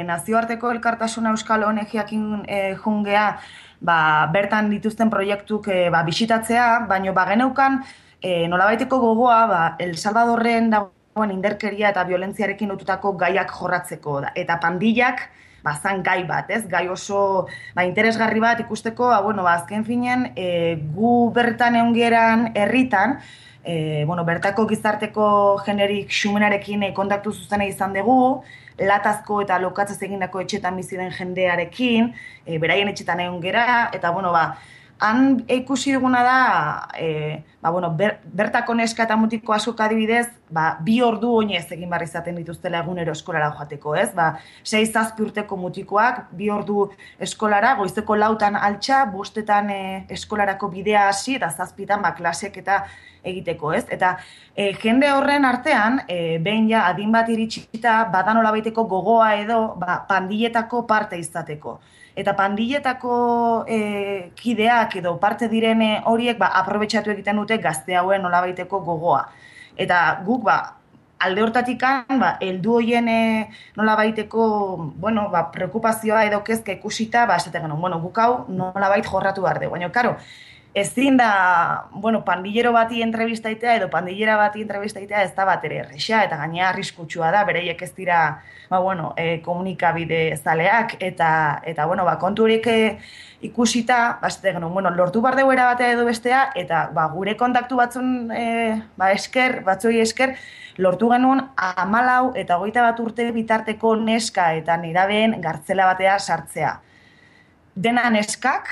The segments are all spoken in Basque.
nazioarteko elkartasuna Euskal ONG-ekin jungea, bertan dituzten proiektuk bisitatzea, baino geneukan nolabaiteko gogoa El Salvadorren dagoen inderkeria eta violentziarekin lotutako gaiak jorratzeko da. Eta pandillak zan gai bat, ez? Gai oso interesgarri bat ikusteko, azken finean gu bertan eungeran herritan, bertako gizarteko generik xumenarekin kontaktu zuzena izan dugu, latazko eta lokatzaz egindako etxetan bizi den jendearekin, beraien etxetan egon gera, eta han ikusi duguna da, bertako neska eta mutiko askok adibidez, 2 ordu oinez egin behar izaten dituztela egunero eskolara joateko, ez? 6-7 urteko mutikoak, 2 ordu eskolara, goizeko 4 altxa, 5 eskolarako bidea hasi, eta 7 klaseak eta egiteko, ez? Eta jende horren artean, behin ja adin bat iritsita, badan olabaiteko gogoa edo, pandilletako parte izateko. Eta pandilletako kideak edo parte diren horiek aprobetxatu egiten dute gazte hauen nolabaiteko gogoa. Eta guk alde hortatikan heldu hoien nolabaiteko preokupazioa edo kezka ikusita esaten genuen, guk hau nolabait jorratu behar dugu. Baina, karo, ezin da, pandillero bati entrevistaitea edo pandillera bati entrevistaitea ez da bat ere erresa, eta gainea arriskutsua da, bereiek ez dira, komunikabide zaleak, eta kontu horiek ikusita, lortu behar dugu erabatea edo bestea, eta gure kontaktu batzuei esker, lortu genuen 14 eta 21 urte bitarteko neska eta nerabeen gartzela batea sartzea. Dena neskak,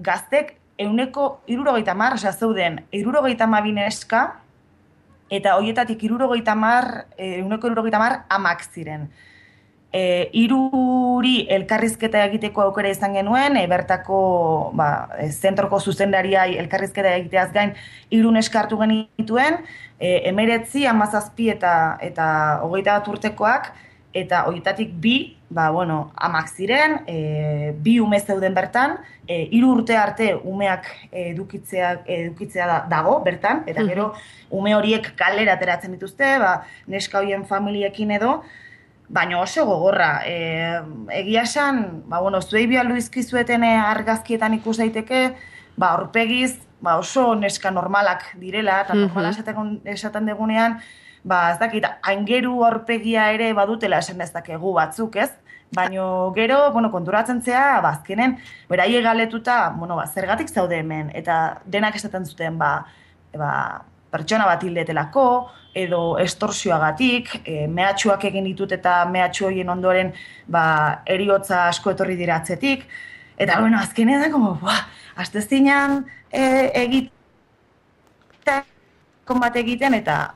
gaztek, 170, zeuden 72 neska, eta horietatik 170 amak ziren. 3 elkarrizketa egiteko aukera izan genuen, bertako zentroko zuzendariai elkarrizketa egiteaz gain 3 neska hartu genituen, 19, 17 eta 21 urtekoak, eta horietatik 2, amak ziren, 2 ume zeuden bertan, 3 urte arte umeak edukitzea dago bertan, eta gero ume horiek kalera ateratzen dituzte, neska horien familiekin edo, baina oso gogorra. Egia esan, zuei bialdu izkizueten argazkietan ikus daiteke, aurpegiz oso neska normalak direla, eta normala esaten degunean, ez dakit, aingeru aurpegia ere badutela esan dezakegu batzuk, ez? Baina gero, konturatzen zea, azkenen, beraiek galetuta, zergatik zaude hemen, eta denak esaten zuten, pertsona bat hildetelako, edo estorsioagatik, mehatxuak egin ditut eta mehatxu horien ondoren heriotza asko etorri dira atzetik, eta azkenen da, astezinean egiten eta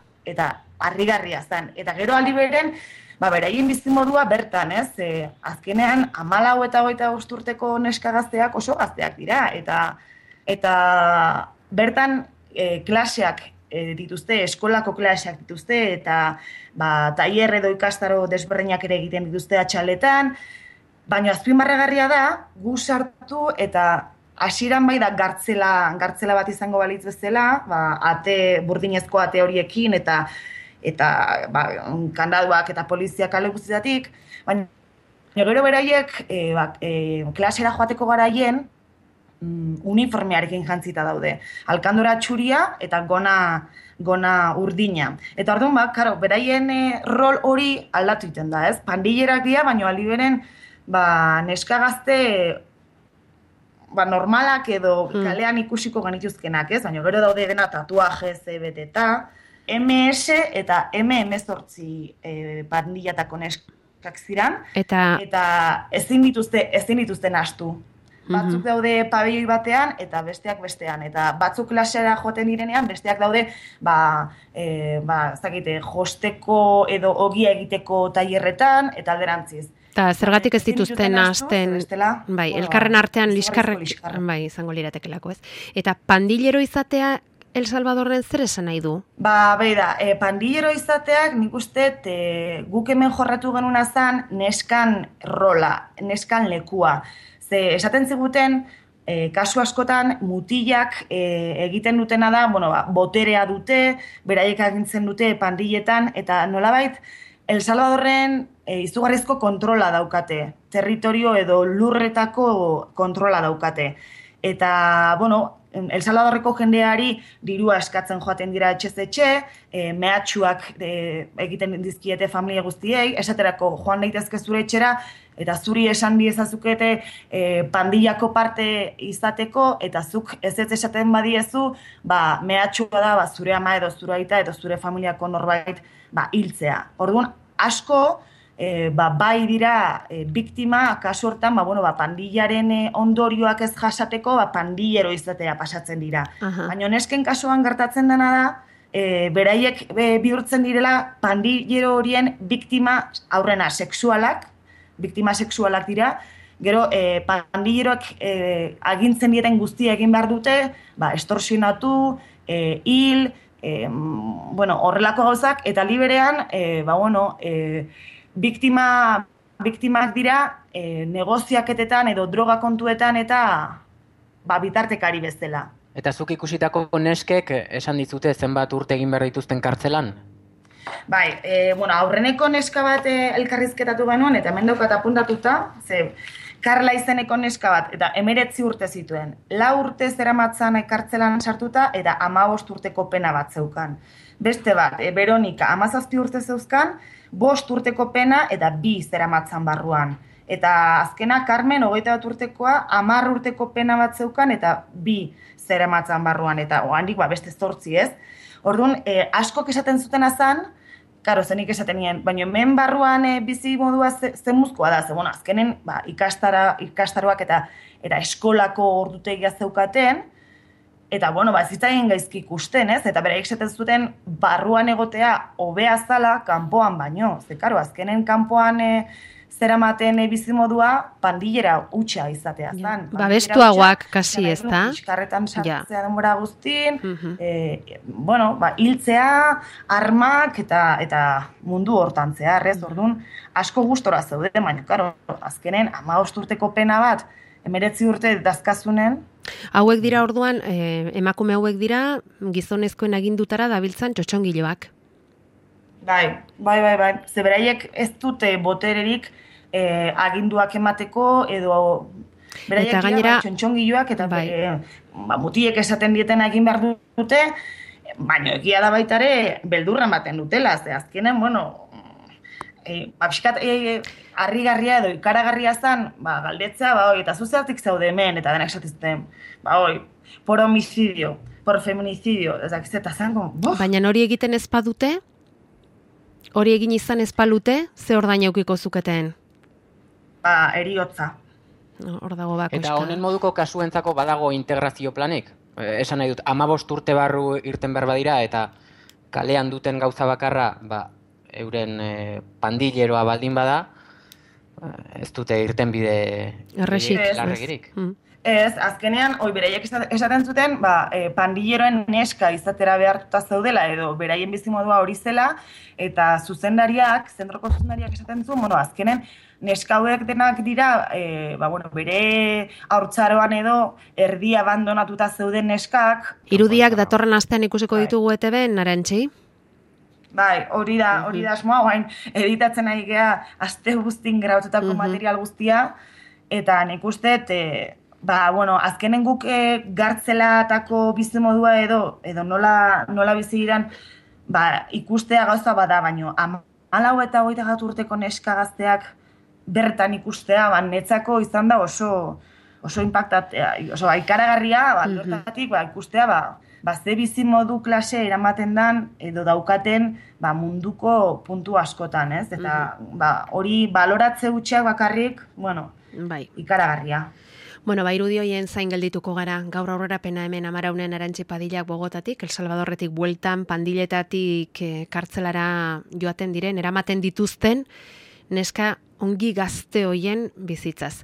harrigarria zen. Eta gero aldi beren, beraien bizimodua bertan, ez? Azkenean, 14 eta 25 urteko neska gazteak oso gazteak dira. Eta bertan klaseak dituzte, eskolako klaseak dituzte, eta tailer edo ikastaro desberdinak ere egiten dituzte atxaletan, baina azpimarragarria da, gu sartu eta hasieran da gartzela bat izango balitz bezala, ate burdinezko ate horiekin eta kandaduak eta poliziak kale guztietatik, baina gero beraiek klasera joateko garaien uniformearekin jantzita daude. Alkandora txuria eta gona urdina. Eta orduan, beraien rol hori aldatu egiten da, ez? Pandillerak dira, baina aliberen neska gazte normalak edo kalean ikusiko genituzkenak, ez? Baina gero daude dena tatuaje, beteta, MS eta M18 pandillatako neskak ziran, eta ezin dituzten astu. Batzuk daude pabelloi batean eta besteak bestean, eta batzuk klasera joaten direnean, besteak daude josteko edo ogia egiteko tailerretan eta alderantziz. Eta zergatik ez dituzten hasten, elkarren artean liskarrek izango liratekelako, ez? Eta pandillero izatea El Salvadorren zer esan nahi du? Pandillero izateak nik uste guk hemen jorratu genuna zen neskan rola, neskan lekua. Ze esaten ziguten, kasu askotan mutilak egiten dutena da, boterea dute, beraiek agintzen dute pandilletan, eta nolabait El Salvadorren izugarrizko kontrola daukate, territorio edo lurretako kontrola daukate. Eta, bueno, El Salvadorreko jendeari dirua eskatzen joaten dira etxez-etxe, mehatxuak egiten dizkiete familia guztiei, esaterako joan daitezke zure etxera, eta zuri esan diezazukete pandillako parte izateko, eta zuk ez esaten badiezu, mehatxua da zure ama edo zure aita edo zure familiako norbait hiltzea. Orduan, asko, bai dira biktima, kasu hortan, pandillaren ondorioak ez jasateko, pandillero izatera pasatzen dira. Baina nesken kasuan gertatzen dena da, beraiek bihurtzen direla pandillero horien biktima aurrena biktima sexualak dira, gero pandilleroak agintzen dieten guztia egin behar dute, estorsionatu, hil, horrelako gauzak, eta liberean, biktimak dira negoziaketetan edo droga kontuetan eta bitartekari bezala. Eta zuk ikusitako neskek esan dizute zenbat urte egin behar dituzten kartzelan? Bai, aurreneko neska bat elkarrizketatu genuen, eta hemen daukat apuntatuta, Karla izeneko neska bat, eta 19 urte zituen. 4 urte zeramatzan kartzelan sartuta, eta 15 urteko pena bat zeukan. Beste bat, Veronika, 17 urte zeuzkan, 5 urteko pena eta 2 zeramatzan barruan. Eta azkena, Carmen, 21 urtekoa, 10 urteko pena bat zeukan eta 2 zeramatzan barruan. Eta oandik, beste 8, ez? Orduan, askok esaten zuten azan, karo, zenik esaten nien, baina hemen barruan bizi modua zenmuzkoa da, azkenen ikastaroak eta eskolako ordutegia zeukaten, eta, ez zitzaien gaizki ikusten, ez? Eta beraiek esaten zuten barruan egotea hobea zala kanpoan baino. Ze, karo, azkenen kanpoan zeramaten bizimodua pandillera hutsa izatea zan. Babestuagoak kasi, ez da? Iskarretan sartzea denbora guztin, hiltzea, armak eta mundu hortan zehar, ez? Orduan, asko gustora zeude, baina, karo, azkenen 15 urteko pena bat, 19 urte dazkazunen. Hauek dira orduan, emakume hauek dira, gizonezkoen agindutara dabiltzan txotxongiloak. Bai. Zeberaiek ez dute botererik aginduak emateko, edo beraiek dira txotxongiloak, eta mutiek esaten dieten egin behar dute, baina egia da baitare beldurra ematen dutela, ze azkenen, harrigarria edo ikaragarria zen, galdetzea, eta zuzertik zaude hemen, eta denak esatizten, por homicidio, por feminicidio, eta zango, Baina hori egiten ez badute? Hori egin izan ez balute, ze ordaina eukiko zuketen? Eriotza. Hor dago bakoska. Eta honen moduko kasuentzako badago integrazio planik? Esan nahi dut, 15 urte barru irten behar badira, eta kalean duten gauza bakarra, euren pandilleroa baldin bada, ez dute irten bide larregirik. Ez, azkenean, beraiek esaten zuten, pandilleroen neska izatera behartuta zeudela, edo beraien bizimodua hori zela, eta zentroko zuzendariak esaten zuen, azkenen, neska hauek denak dira, bere haurtzaroan edo erdi abandonatuta zeuden neskak. Irudiak datorren astean ikusiko ditugu ETB-en, Arantxi? Bai, hori da asmoa, guain, editatzen ari gea aste guztin graututako material guztia, eta nik uste, azkenen guk gartzelatako bizimodua edo nola bizi giran, ikustea gauza bada, baino 14 eta 21 urteko neska gazteak bertan ikustea, netzako izan da oso impactatea, oso ikaragarria, bertatik ikustea, ze bizimodu klase eramaten dan edo daukaten munduko puntu askotan, ez? Eta hori baloratze gutxiak bakarrik, ikaragarria. Irudi hoien zain geldituko gara, gaur aurrerapena hemen Amaraunen Arantxi Padillak Bogotatik, El Salvadorretik bueltan, pandiletatik kartzelara joaten diren, eramaten dituzten, neska ongi gazte hoien bizitzaz.